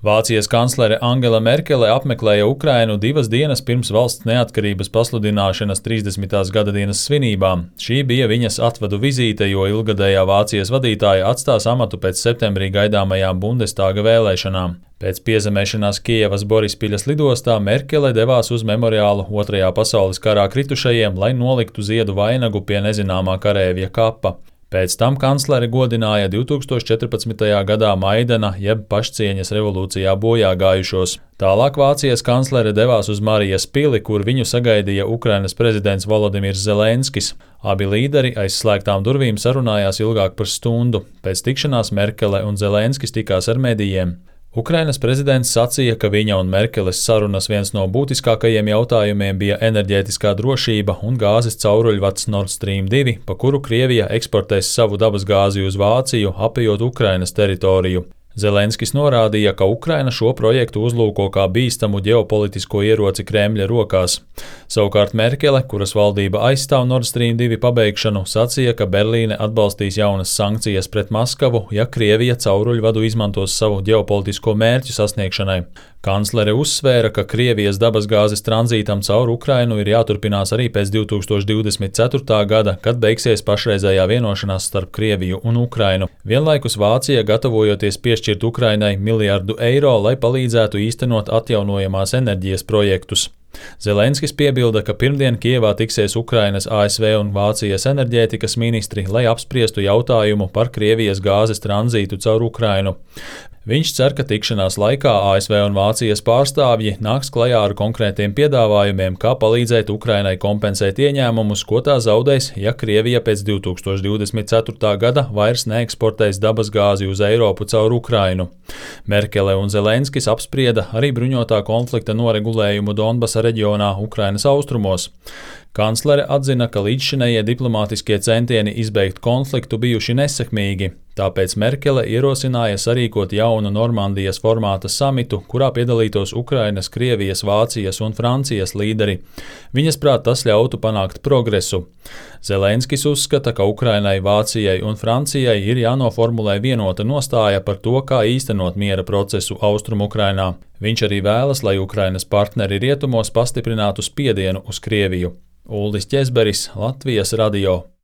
Vācijas kanclere Angela Merkele apmeklēja Ukrainu 2 dienas pirms valsts neatkarības pasludināšanas 30. gadadienas svinībām. Šī bija viņas atvadu vizīte, jo ilgadējā Vācijas vadītāja atstās amatu pēc septembrī gaidāmajām Bundestāga vēlēšanām. Pēc piezemēšanās Kijevas Borispiļas lidostā Merkele devās uz memoriālu Otrajā pasaules karā kritušajiem, lai noliktu ziedu vainagu pie nezināmā kareivja kapa. Pēc tam kanclere godināja 2014. gadā Maidana jeb pašcieņas revolūcijā bojā gājušos. Tālāk Vācijas kanclere devās uz Marijas pili, kur viņu sagaidīja Ukrainas prezidents Volodimirs Zelenskis. Abi līderi aiz slēgtām durvīm sarunājās ilgāk par stundu. Pēc tikšanās Merkele un Zelenskis tikās ar medijiem. Ukrainas prezidents sacīja, ka viņa un Merkeles sarunas viens no būtiskākajiem jautājumiem bija enerģētiskā drošība un gāzes cauruļvads Nord Stream 2, pa kuru Krievija eksportēs savu dabasgāzi uz Vāciju, apejot Ukrainas teritoriju. Zelenskis norādīja, ka Ukraina šo projektu uzlūko kā bīstamu ģeopolitisko ieroci Kremļa rokās. Savukārt Merkele, kuras valdība aizstāv Nord Stream 2 pabeigšanu, sacīja, ka Berlīne atbalstīs jaunas sankcijas pret Maskavu, ja Krievija cauruļvadu izmantos savu ģeopolitisko mērķu sasniegšanai. Kanclere uzsvēra, ka Krievijas dabasgāzes tranzītam caur Ukrainu ir jāturpinās arī pēc 2024. gada, kad beigsies pašreizējā vienošanās starp Krieviju un Ukrainu. Vienlaikus Vācija gatavojoties piešķirt Ukrainai miljardu eiro, lai palīdzētu īstenot atjaunojamās enerģijas projektus. Zelenskis piebilda, ka pirmdien Kijevā tiksies Ukrainas, ASV un Vācijas enerģētikas ministri, lai apspriestu jautājumu par Krievijas gāzes tranzītu caur Ukrainu. Viņš cer, ka tikšanās laikā ASV un Vācijas pārstāvji nāks klajā ar konkrētiem piedāvājumiem, kā palīdzēt Ukrainai kompensēt ieņēmumus, ko tā zaudēs, ja Krievija pēc 2024. gada vairs neeksportēs dabasgāzi uz Eiropu caur Ukrainu. Merkele un Zelenskis apsprieda arī bruņotā konflikta noregulējumu Donbasa reģionā Ukrainas austrumos. Kanclere atzina, ka līdzšinējie diplomātiskie centieni izbeigt konfliktu bijuši nesekmīgi, tāpēc Merkele ierosināja sarīkot jaunu Normandijas formāta samitu, kurā piedalītos Ukrainas, Krievijas, Vācijas un Francijas līderi. Viņas prāt tas ļautu panākt progresu. Zelenskis uzskata, ka Ukrainai, Vācijai un Francijai ir jānoformulē vienota nostāja par to, kā īstenot miera procesu Austrumu-Ukrainā. Viņš arī vēlas, lai Ukrainas partneri rietumos pastiprinātu spiedienu uz Krieviju. Uldis Ķezberis, Latvijas radio.